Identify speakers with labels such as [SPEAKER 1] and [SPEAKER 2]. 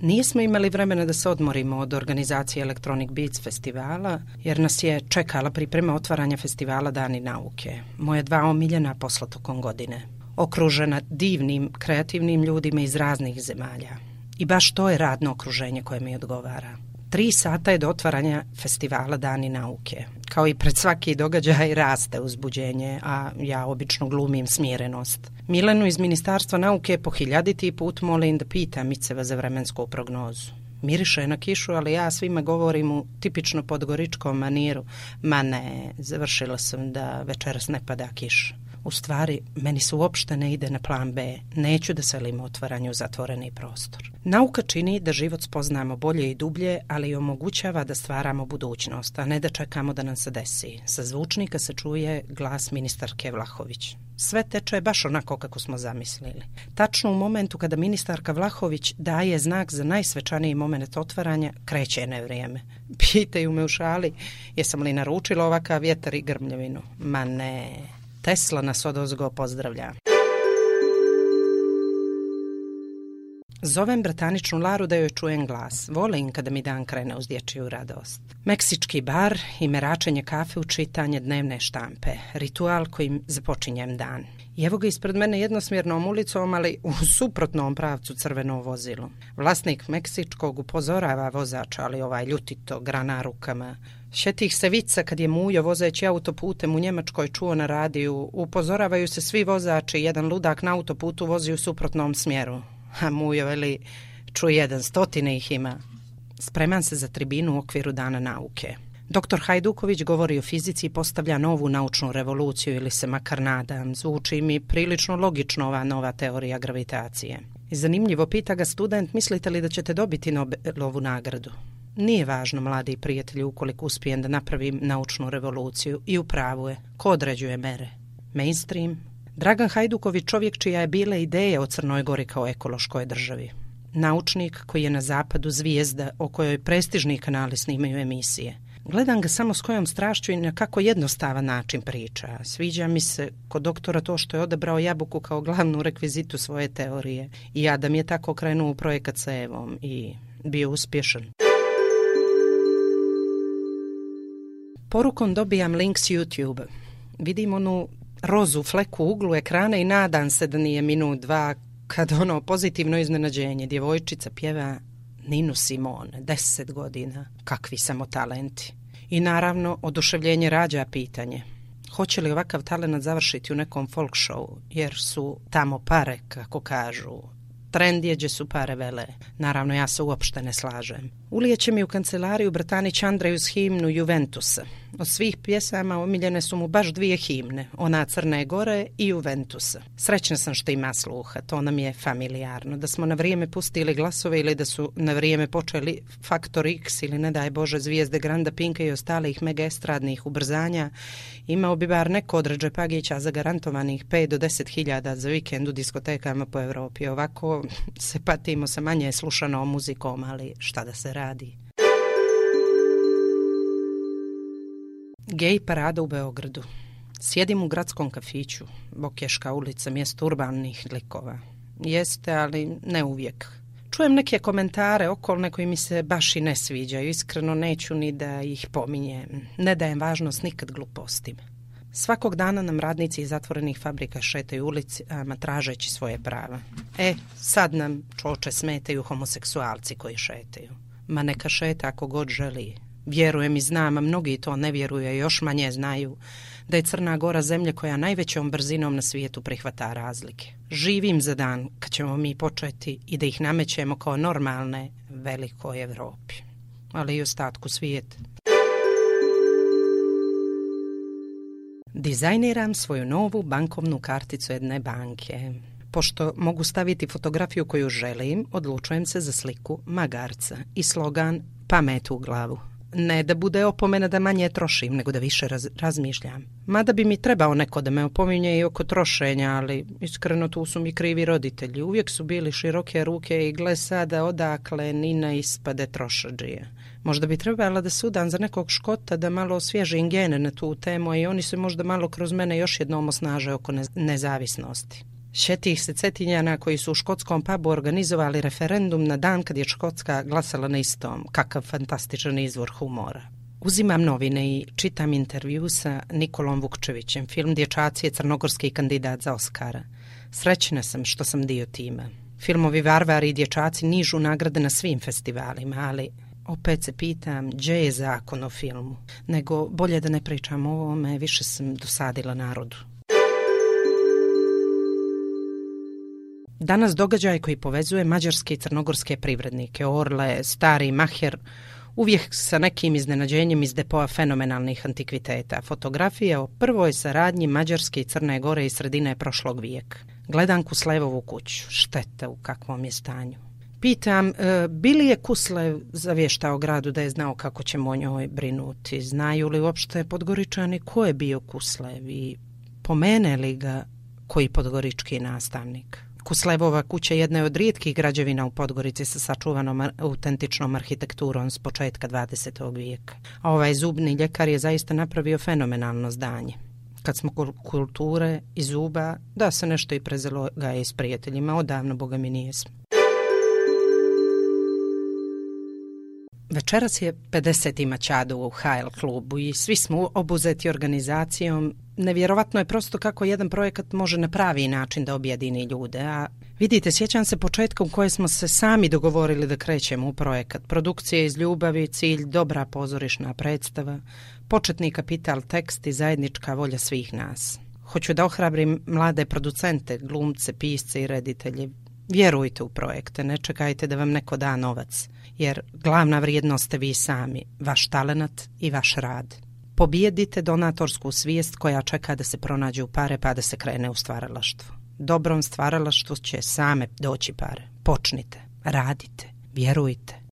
[SPEAKER 1] Nismo imali vremena da se odmorimo od organizacije Electronic Beats festivala, jer nas je čekala priprema otvaranja festivala Dani nauke. Moje 2 omiljena posla tokom godine. Okružena divnim, kreativnim ljudima iz raznih zemalja. I baš to je radno okruženje koje mi odgovara. 3 sata je do otvaranja festivala Dani nauke. Kao i pred svaki događaj raste uzbuđenje, a ja obično glumim smirenost. Milenu iz Ministarstva nauke po 1000. put molim da pita Miceva za vremensku prognozu. Miriše na kišu, ali ja svima govorim u tipično podgoričkom maniru. Ma ne, završila sam da večeras ne pada kiša. U stvari, meni se uopšte ne ide na plan B. Neću da selim otvaranju u zatvoreni prostor. Nauka čini da život spoznamo bolje i dublje, ali i omogućava da stvaramo budućnost, a ne da čekamo da nam se desi. Sa zvučnika se čuje glas ministarke Vlahović. Sve teče baš onako kako smo zamislili. Tačno u momentu kada ministarka Vlahović daje znak za najsvečaniji moment otvaranja, kreće nevrijeme. Pitaju me u šali, jesam li naručila ovakav vjetar i grmljevinu? Ma ne... Tesla nas odozgo pozdravlja. Zovem brataničnu Laru da joj čujem glas. Volim kada mi dan krene uz dječju radost. Meksički bar i meračenje kafe u čitanje dnevne štampe. Ritual kojim započinjem dan. I evo ga ispred mene jednosmjernom ulicom, ali u suprotnom pravcu crveno vozilo. Vlasnik meksičkog upozorava vozača, ali ovaj ljutito grana rukama. Šetih se vica kad je Mujo vozeći autoputem u Njemačkoj čuo na radiju. Upozoravaju se svi vozači, jedan ludak na autoputu vozi u suprotnom smjeru. A Mujo veli, čuje 100 ih ima. Spreman se za tribinu u okviru Dana nauke. Doktor Hajduković govori o fizici i postavlja novu naučnu revoluciju ili se makar nadam. Zvuči mi prilično logično ova nova teorija gravitacije. I zanimljivo pita ga student, mislite li da ćete dobiti Nobelovu nagradu? Nije važno, mladi prijatelji, ukoliko uspijem da napravim naučnu revoluciju. I u pravu je. Ko određuje mere? Mainstream? Dragan Hajduković, čovjek čija je bila ideja o Crnoj Gori kao ekološkoj državi. Naučnik koji je na zapadu zvijezda o kojoj prestižni kanali snimaju emisije. Gledam ga samo s kojom strašću i na kako jednostavan način priča. Sviđa mi se kod doktora to što je odabrao jabuku kao glavnu rekvizitu svoje teorije. I Adam je tako krenuo u projekat sa Evom i bio uspješan. Porukom dobijam link s YouTube. Vidim onu rozu fleku u uglu ekrana i nadam se da nije minut 2 kad ono pozitivno iznenađenje. Djevojčica pjeva Ninu Simone, 10 godina. Kakvi samo talenti. I naravno, oduševljenje rađa pitanje. Hoće li ovakav talent završiti u nekom folk show, jer su tamo pare, kako kažu. Trend je gdje su pare vele. Naravno, ja se uopšte ne slažem. Ulijeće mi u kancelariju Bratanić Andrejus himnu Juventusa. Od svih pjesama omiljene su mu baš 2 himne, ona Crne Gore i Juventusa. Srećna sam što ima sluha, to nam je familijarno. Da smo na vrijeme pustili glasove ili da su na vrijeme počeli Faktor X ili ne daj Bože zvijezde Granda Pinka i ostalih mega estradnih ubrzanja, imao bi bar neko od Redžepagića zagarantovanih 5 do 10 hiljada za vikend u diskotekama po Europi. Ovako se patimo sa manje slušanom muzikom, ali šta da se radi. Gej parada u Beogradu. Sjedim u gradskom kafiću, Bokješka ulica, mjesto urbanih likova. Jeste, ali ne uvijek. Čujem neke komentare okolne koji mi se baš i ne sviđaju. Iskreno neću ni da ih pominjem. Ne dajem važnost nikad glupostima. Svakog dana nam radnici iz zatvorenih fabrika šetaju ulicama tražeći svoje prava. Sad nam čoče smetaju homoseksualci koji šetaju. Ma neka šeta ako god želi. Vjerujem i znam, a mnogi to ne vjeruju i još manje znaju, da je Crna Gora zemlja koja najvećom brzinom na svijetu prihvata razlike. Živim za dan kad ćemo mi početi i da ih namećemo kao normalne velikoj Evropi, ali i ostatku svijeta. Dizajniram svoju novu bankovnu karticu jedne banke. Pošto mogu staviti fotografiju koju želim, odlučujem se za sliku magarca i slogan pamet u glavu. Ne da bude opomena da manje trošim, nego da više razmišljam. Mada bi mi trebao neko da me opominje i oko trošenja, ali iskreno tu su mi krivi roditelji. Uvijek su bili široke ruke i gle sada odakle Nina ispade trošadžija. Možda bi trebala da sudam za nekog Škota da malo osvježim gene na tu temu i oni se možda malo kroz mene još jednom osnaže oko nezavisnosti. Sjetih se Cetinjana koji su u škotskom pubu organizovali referendum na dan kad je Škotska glasala na istom. Kakav fantastičan izvor humora. Uzimam novine i čitam intervju sa Nikolom Vukčevićem. Film Dječaci je crnogorski kandidat za Oskara. Srećna sam što sam dio tima. Filmovi Varvari i Dječaci nižu nagrade na svim festivalima, ali opet se pitam gdje je zakon o filmu. Nego bolje da ne pričam o ovome, više sam dosadila narodu. Danas događaj koji povezuje mađarske i crnogorske privrednike, Orle, Stari Maher, uvijek sa nekim iznenađenjem iz depoa fenomenalnih antikviteta. Fotografije o prvoj saradnji Mađarske i Crne Gore iz sredine prošlog vijeka. Gledam Kuslevovu kuću. Šteta u kakvom je stanju. Pitam, bi li je Kuslev zavještao gradu da je znao kako ćemo o njoj brinuti? Znaju li uopšte Podgoričani ko je bio Kuslev i pomene li ga koji podgorički nastavnik? Kuslevova kuća jedna je od rijetkih građevina u Podgorici sa sačuvanom autentičnom arhitekturom s početka 20. vijeka. A ovaj zubni ljekar je zaista napravio fenomenalno zdanje. Kad smo kulture i zuba, da se nešto i prezelo ga je s prijateljima, odavno boga mi nijesmo. Večeras je 50. Mačadu u HL klubu i svi smo obuzeti organizacijom. Nevjerovatno je prosto kako jedan projekat može na pravi način da objedini ljude, a vidite, sjećam se početka u koje smo se sami dogovorili da krećemo u projekat. Produkcija iz ljubavi, cilj, dobra pozorišna predstava, početni kapital, tekst i zajednička volja svih nas. Hoću da ohrabrim mlade producente, glumce, pisce i reditelje. Vjerujte u projekte, ne čekajte da vam neko da novac, jer glavna vrijednost ste vi sami, vaš talenat i vaš rad. Pobijedite donatorsku svijest koja čeka da se pronađe u pare pa da se krene u stvaralaštvo. Dobrom stvaralaštvu će same doći pare. Počnite, radite, vjerujte.